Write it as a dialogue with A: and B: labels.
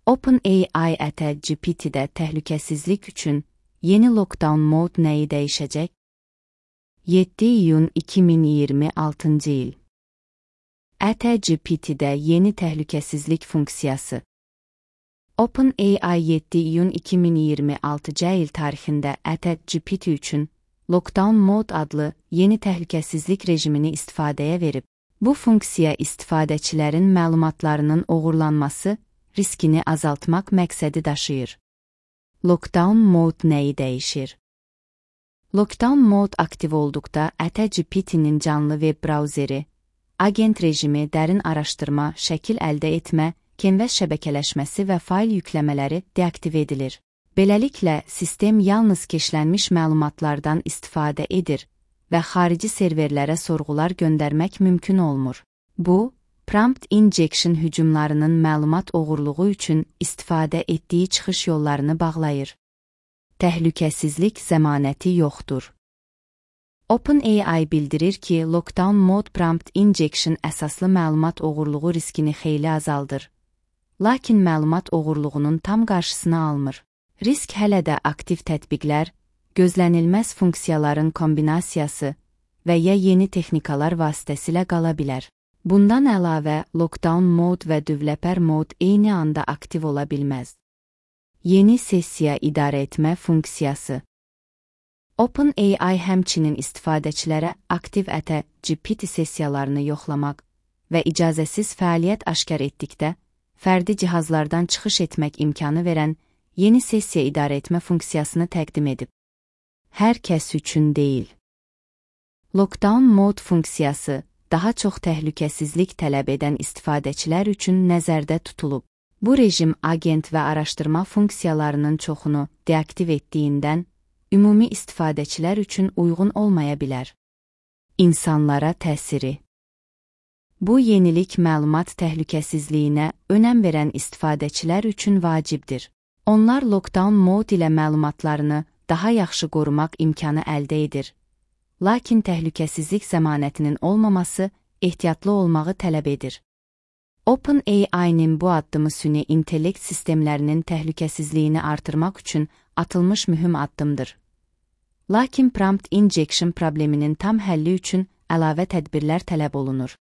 A: OpenAI GPT-də təhlükəsizlik üçün yeni lockdown mod nəyi dəyişəcək? 7 iyun 2026 il. GPT-də yeni təhlükəsizlik funksiyası. OpenAI 7 iyun 2026 il tarixində GPT üçün Lockdown Mode adlı yeni təhlükəsizlik rejimini istifadəyə verib. Bu funksiya istifadəçilərin məlumatlarının oğurlanması riskini azaltmaq məqsədi daşıyır. Lockdown Mode nəyi dəyişir? Lockdown Mode aktiv olduqda GPT-nin canlı web brauzeri, agent rejimi, dərin araşdırma, şəkil əldə etmə, canvas şəbəkələşməsi və fayl yükləmələri deaktiv edilir. Beləliklə, sistem yalnız keşlənmiş məlumatlardan istifadə edir və xarici serverlərə sorğular göndərmək mümkün olmur. Bu, prompt injection hücumlarının məlumat oğurluğu üçün istifadə etdiyi çıxış yollarını bağlayır. Təhlükəsizlik zəmanəti yoxdur. OpenAI bildirir ki, Lockdown Mode prompt injection əsaslı məlumat oğurluğu riskini xeyli azaldır. Lakin məlumat oğurluğunun tam qarşısını almır. Risk hələ də aktiv tətbiqlər, gözlənilməz funksiyaların kombinasiyası və ya yeni texnikalar vasitəsilə qala bilər. Bundan əlavə, Lockdown Mode və Developer Mode eyni anda aktiv ola bilməz. Yeni sessiya idarə etmə funksiyası. OpenAI həmçinin istifadəçilərə aktiv GPT sessiyalarını yoxlamaq və icazəsiz fəaliyyət aşkar etdikdə, fərdi cihazlardan çıxış etmək imkanı verən yeni sessiya idarə etmə funksiyasını təqdim edib. Hər kəs üçün deyil. Lockdown Mode funksiyası daha çox təhlükəsizlik tələb edən istifadəçilər üçün nəzərdə tutulub. Bu rejim agent və araşdırma funksiyalarının çoxunu deaktiv etdiyindən, ümumi istifadəçilər üçün uyğun olmaya bilər. İnsanlara təsiri. Bu yenilik məlumat təhlükəsizliyinə önəm verən istifadəçilər üçün vacibdir. Onlar Lockdown Mode ilə məlumatlarını daha yaxşı qorumaq imkanı əldə edir. Lakin təhlükəsizlik zəmanətinin olmaması ehtiyatlı olmağı tələb edir. OpenAI-nin bu addımı süni intellekt sistemlərinin təhlükəsizliyini artırmaq üçün atılmış mühüm addımdır. Lakin prompt injection probleminin tam həlli üçün əlavə tədbirlər tələb olunur.